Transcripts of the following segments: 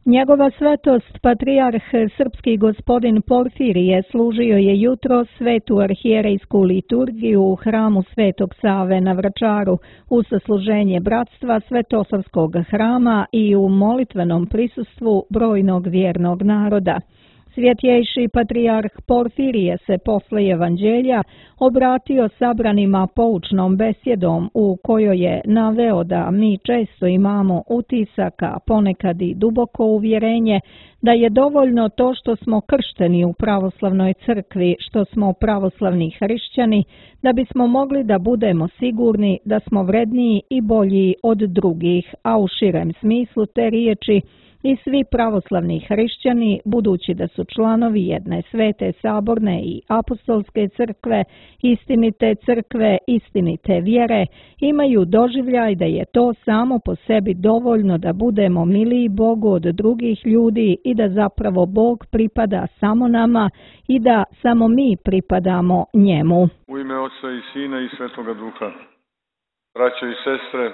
Njegova svetost, patrijarh srpski gospodin Porfirije, služio je jutro svetu arhijerejsku liturgiju u hramu Svetog Save na Vračaru u sasluženje bratstva Svetosavskog hrama i u molitvenom prisustvu brojnog vjernog naroda. Svjetjejši patrijarh Porfirije se posle evanđelja obratio sabranima poučnom besjedom u kojoj je naveo da mi često imamo utisaka, ponekad i duboko uvjerenje da je dovoljno to što smo kršteni u pravoslavnoj crkvi, što smo pravoslavni hrišćani, da bismo mogli da budemo sigurni da smo vredniji i bolji od drugih, a u širem smislu te riječi i svi pravoslavni hrišćani, budući da su članovi jedne svete saborne i apostolske crkve, istinite crkve, istinite vjere, imaju doživljaj da je to samo po sebi dovoljno da budemo miliji Bogu od drugih ljudi i da zapravo Bog pripada samo nama i da samo mi pripadamo njemu. U ime Oca i Sina i Svetoga Duha, braćo i sestre,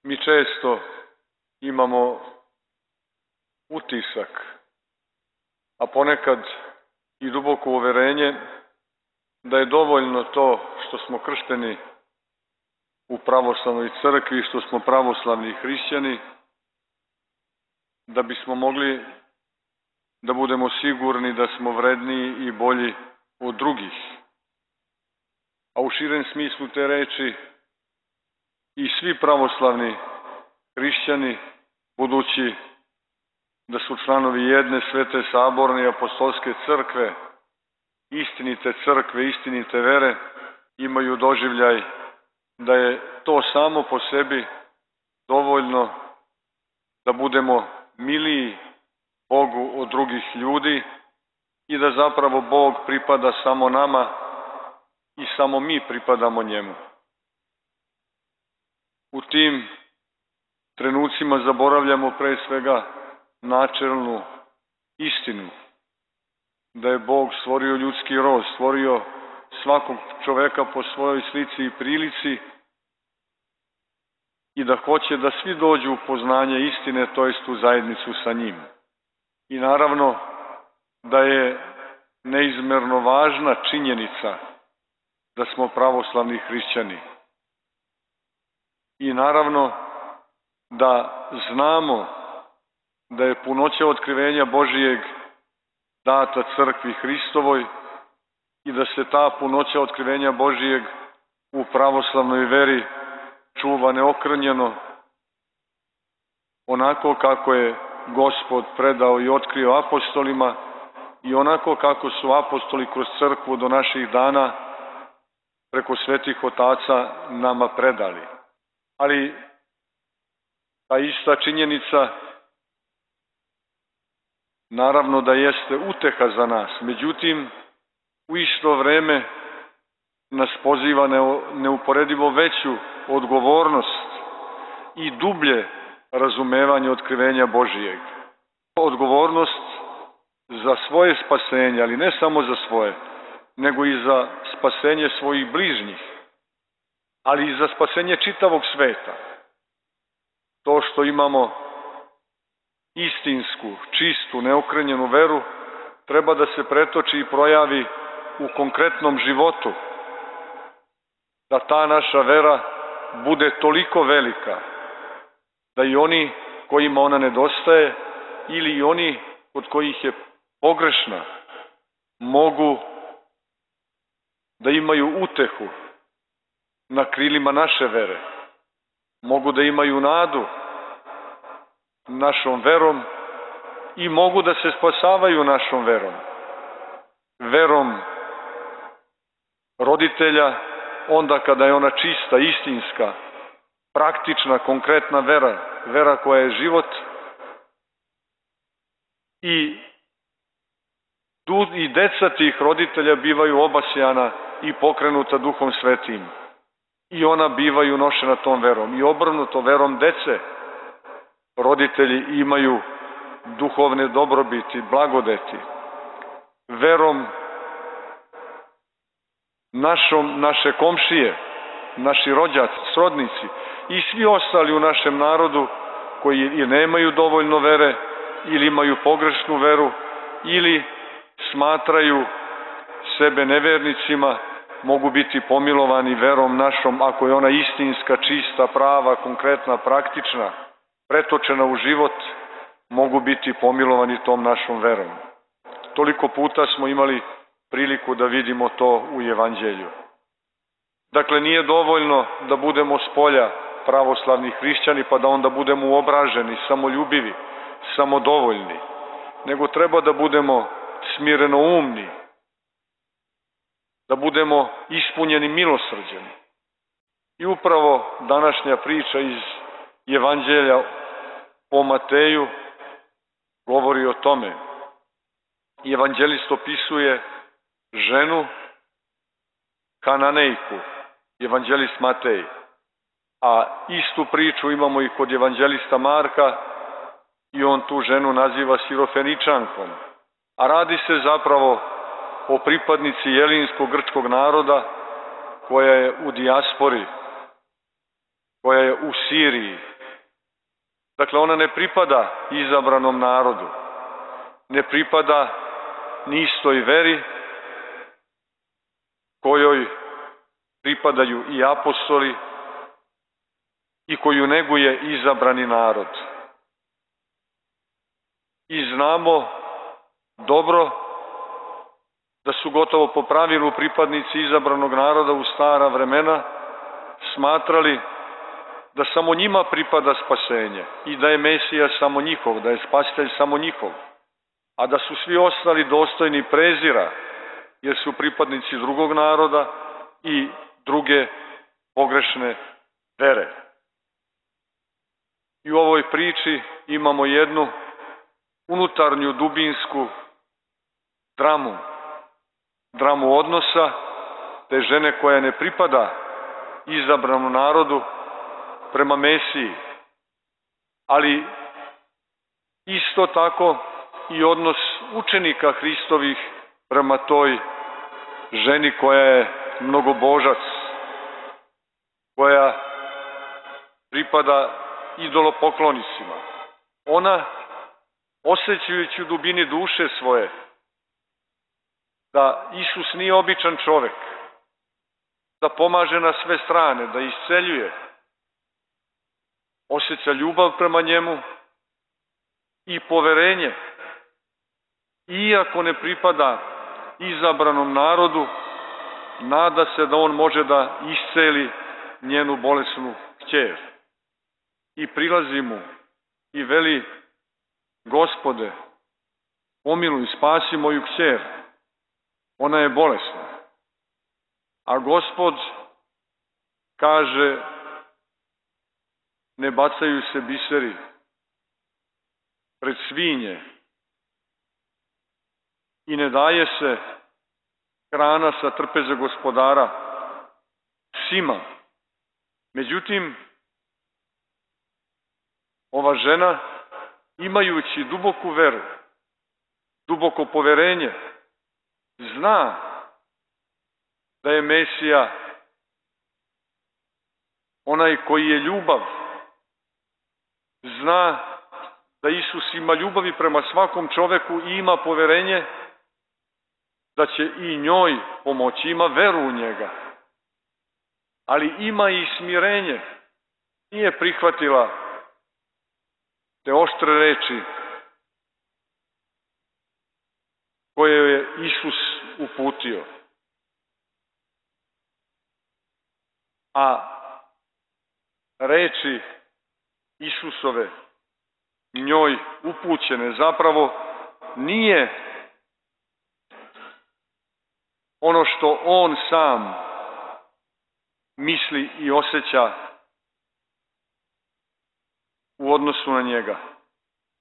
mi često imamo utisak, a ponekad i duboko uverenje da je dovoljno to što smo kršteni u pravoslavnoj crkvi, što smo pravoslavni hrišćani, da bismo mogli da budemo sigurni da smo vredniji i bolji od drugih. A u širem smislu te reči i svi pravoslavni hrišćani, budući da su članovi jedne svete saborne i apostolske crkve, istinite vere, imaju doživljaj da je to samo po sebi dovoljno da budemo miliji Bogu od drugih ljudi i da zapravo Bog pripada samo nama i samo mi pripadamo njemu. U tim trenucima zaboravljamo pre svega načelnu istinu, da je Bog stvorio ljudski rod, stvorio svakog čoveka po svojoj slici i prilici i da hoće da svi dođu u poznanje istine, to jest u zajednicu sa njim. I naravno da je neizmerno važna činjenica da smo pravoslavni hrišćani. I naravno da znamo da je punoća otkrivenja Božijeg data crkvi Hristovoj i da se ta punoća otkrivenja Božijeg u pravoslavnoj veri čuva neokrnjeno, onako kako je Gospod predao i otkrio apostolima i onako kako su apostoli kroz crkvu do naših dana preko svetih otaca nama predali. Ali ta ista činjenica naravno da jeste uteha za nas, međutim, u isto vreme nas poziva neuporedivo veću odgovornost i dublje razumevanje otkrivenja Božijeg. Odgovornost za svoje spasenje, ali ne samo za svoje, nego i za spasenje svojih bližnjih, ali i za spasenje čitavog sveta. To što imamo istinsku, čistu, neokrnjenu veru, treba da se pretoči i projavi u konkretnom životu. Da ta naša vera bude toliko velika, da i oni kojima ona nedostaje ili i oni kod kojih je pogrešna, mogu da imaju utehu na krilima naše vere. Mogu da imaju nadu našom verom i mogu da se spasavaju našom verom. Verom roditelja, onda kada je ona čista, istinska, praktična, konkretna vera, vera koja je život, i deca tih roditelja bivaju obasjana i pokrenuta Duhom Svetim. I ona bivaju nošena tom verom. I obrnuto, verom dece roditelji imaju duhovne dobrobiti, blagodeti. Verom naše komšije, naši rođaci, srodnici i svi ostali u našem narodu koji i nemaju dovoljno vere ili imaju pogrešnu veru ili smatraju sebe nevernicima, mogu biti pomilovani verom našom ako je ona istinska, čista, prava, konkretna, praktična, pretočena u život, mogu biti pomilovani tom našom verom. Toliko puta smo imali priliku da vidimo to u Evanđelju. Dakle, nije dovoljno da budemo spolja pravoslavni hrišćani pa da onda budemo uobraženi, samoljubivi, samodovoljni, nego treba da budemo smirenoumni, da budemo ispunjeni milosrđem. I upravo današnja priča iz Evanđelja po Mateju govori o tome. Evanđelist opisuje ženu Kananejku, evanđelist Matej, a istu priču imamo i kod evanđelista Marka i on tu ženu naziva Sirofeničankom, a radi se zapravo o pripadnici jelinskog grčkog naroda koja je u dijaspori, koja je u Siriji. Dakle, ona ne pripada izabranom narodu, ne pripada ni istoj veri kojoj pripadaju i apostoli i koju neguje izabrani narod. I znamo dobro da su gotovo po pravilu pripadnici izabranog naroda u stara vremena smatrali da samo njima pripada spasenje i da je Mesija samo njihov, da je spasitelj samo njihov, a da su svi ostali dostojni prezira jer su pripadnici drugog naroda i druge pogrešne vere. I u ovoj priči imamo jednu unutarnju dubinsku dramu odnosa te žene koja ne pripada izabranom narodu prema Mesiji, ali isto tako i odnos učenika Hristovih prema toj ženi koja je mnogobožac, koja pripada idolopoklonicima. Ona, osjećajući u dubini duše svoje da Isus nije običan čovek, da pomaže na sve strane, da isceljuje, osjeća ljubav prema njemu i poverenje. Iako ne pripada izabranom narodu, nada se da on može da isceli njenu bolesnu kćer. I prilazi mu i veli: Gospode, pomiluj, spasi moju kćer, ona je bolesna. A Gospod kaže: ne bacaju se biseri pred svinje i ne daje se hrana sa trpeze gospodara psima. Međutim, ova žena, imajući duboku veru, duboko poverenje, zna da je Mesija onaj koji je ljubav, zna da Isus ima ljubavi prema svakom čoveku i ima poverenje da će i njoj pomoći, ima veru u njega, ali ima i smirenje. Nije prihvatila te oštre reči koje je Isus uputio. A reči Isusove njoj upućene zapravo nije ono što on sam misli i osjeća u odnosu na njega,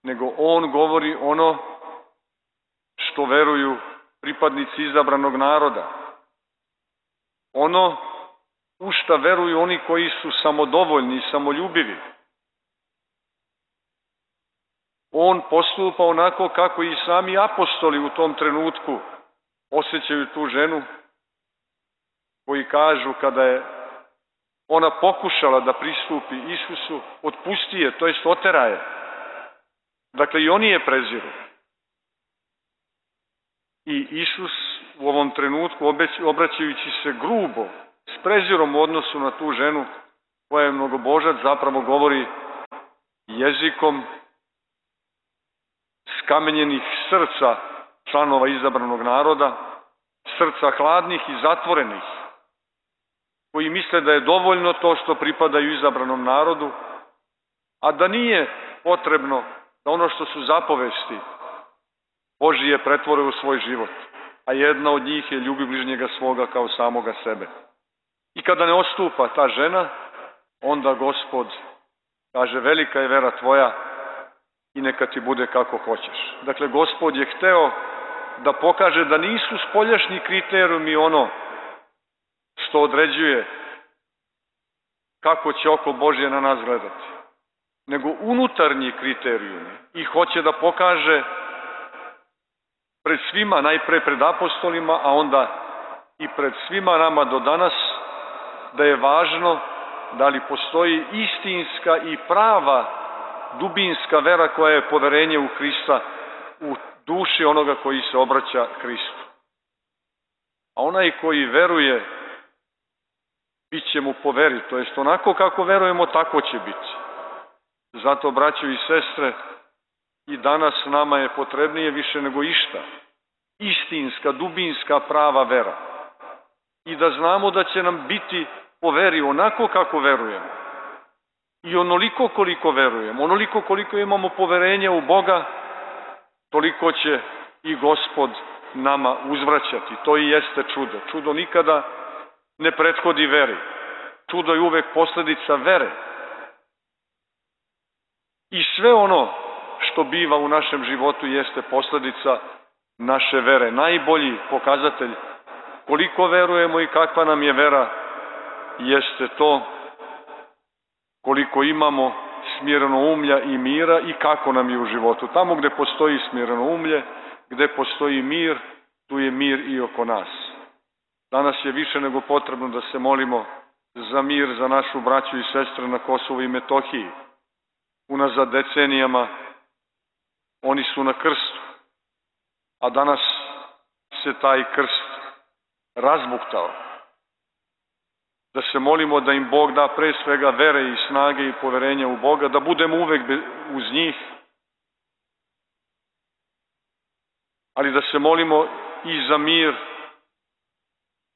nego on govori ono što veruju pripadnici izabranog naroda. Ono u šta veruju oni koji su samodovoljni i samoljubivi. On postupa onako kako i sami apostoli u tom trenutku osjećaju tu ženu, koji kažu kada je ona pokušala da pristupi Isusu, otpusti je, to jest otera je. Dakle, i oni je preziru. I Isus u ovom trenutku, obraćajući se grubo, s prezirom u odnosu na tu ženu koja je mnogobožac, zapravo govori jezikom skamenjenih srca članova izabranog naroda, srca hladnih i zatvorenih, koji misle da je dovoljno to što pripadaju izabranom narodu, a da nije potrebno da ono što su zapovesti Božije pretvore u svoj život, a jedna od njih je ljubi bližnjega svoga kao samoga sebe. I kada ne odstupa ta žena, onda Gospod kaže, velika je vera tvoja i neka ti bude kako hoćeš. Dakle, Gospod je hteo da pokaže da nisu spoljašnji kriterijumi ono što određuje kako će oko Božje na nas gledati, nego unutarnji kriterijumi. I hoće da pokaže pred svima, najpre pred apostolima, a onda i pred svima nama do danas, da je važno da li postoji istinska i prava dubinska vera koja je poverenje u Hrista, u duši onoga koji se obraća Hristu. A onaj koji veruje, bit će mu po veri, to jest onako kako verujemo, tako će biti. Zato, braćo i sestre, i danas nama je potrebnije više nego išta istinska, dubinska, prava vera. I da znamo da će nam biti po veri onako kako verujemo. I onoliko koliko verujemo, onoliko koliko imamo poverenja u Boga, toliko će i Gospod nama uzvraćati. To i jeste čudo. Čudo nikada ne prethodi veri. Čudo je uvek posledica vere. I sve ono što biva u našem životu jeste posledica naše vere. Najbolji pokazatelj koliko verujemo i kakva nam je vera jeste to koliko imamo smirenoumlja i mira i kako nam je u životu. Tamo gde postoji smirenoumlje, gde postoji mir, tu je mir i oko nas. Danas je više nego potrebno da se molimo za mir za našu braću i sestre na Kosovu i Metohiji. Unazad decenijama oni su na krstu, a danas se taj krst razbuktao. Da se molimo da im Bog da pre svega vere i snage i poverenja u Boga, da budemo uvek uz njih, ali da se molimo i za mir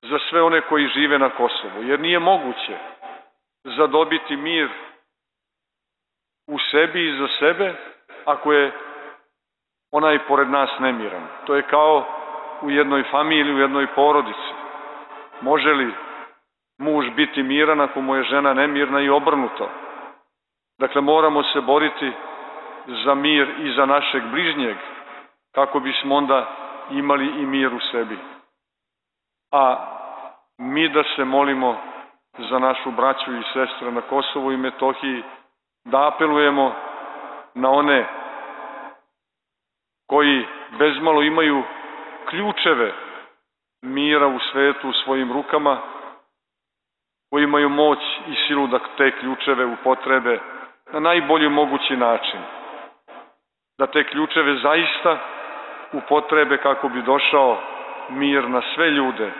za sve one koji žive na Kosovu, jer nije moguće zadobiti mir u sebi i za sebe ako je onaj pored nas nemiran. To je kao u jednoj familiji, u jednoj porodici. Može li muž biti miran ako mu je žena nemirna i obrnuto? Dakle, moramo se boriti za mir i za našeg bližnjeg, kako bismo onda imali i mir u sebi. A mi da se molimo za našu braću i sestre na Kosovu i Metohiji, da apelujemo na one koji bezmalo imaju ključeve mira u svetu u svojim rukama, koji imaju moć i silu da te ključeve upotrebe na najbolji mogući način. Da te ključeve zaista upotrebe kako bi došao mir na sve ljude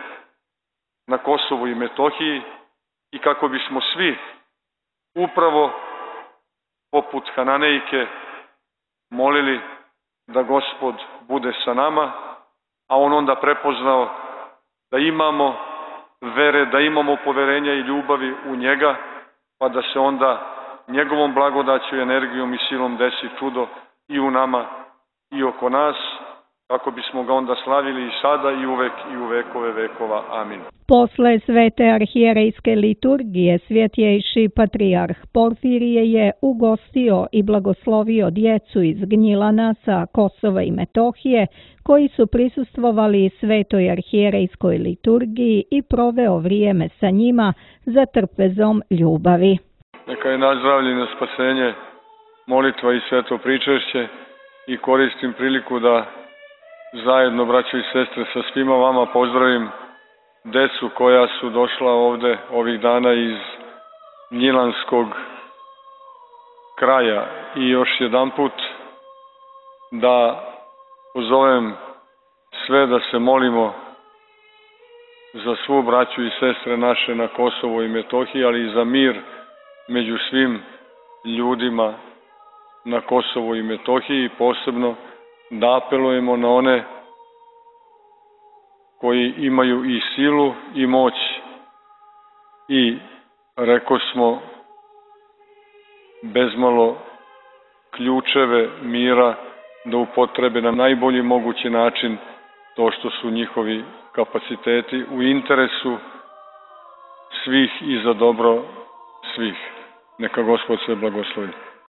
na Kosovu i Metohiji i kako bismo svi upravo poput Hananejke molili da Gospod bude sa nama, a on onda prepoznao da imamo vere, da imamo poverenja i ljubavi u njega, pa da se onda njegovom blagodaću, energijom i silom desi čudo i u nama i oko nas, kako bismo ga onda slavili i sada i uvek i u vekove vekova. Amin. Posle svete arhijerejske liturgije svjetjejši patrijarh Porfirije je ugostio i blagoslovio djecu iz Gnjilana sa Kosova i Metohije, koji su prisustvovali svetoj arhijerejskoj liturgiji i proveo vrijeme sa njima za trpezom ljubavi. Neka je naš zdravlje na spasenje, molitva i sveto pričešće, i koristim priliku da zajedno, braćo i sestre, sa svima vama pozdravim decu koja su došla ovde ovih dana iz Gnjilanskog kraja i još jedanput da pozovem sve da se molimo za svu braću i sestre naše na Kosovu i Metohiji, ali i za mir među svim ljudima na Kosovu i Metohiji, i posebno da apelujemo na one koji imaju i silu i moć i, reko smo, bezmalo ključeve mira da upotrebe na najbolji mogući način to što su njihovi kapaciteti u interesu svih i za dobro svih. Neka Gospod sve blagoslovi.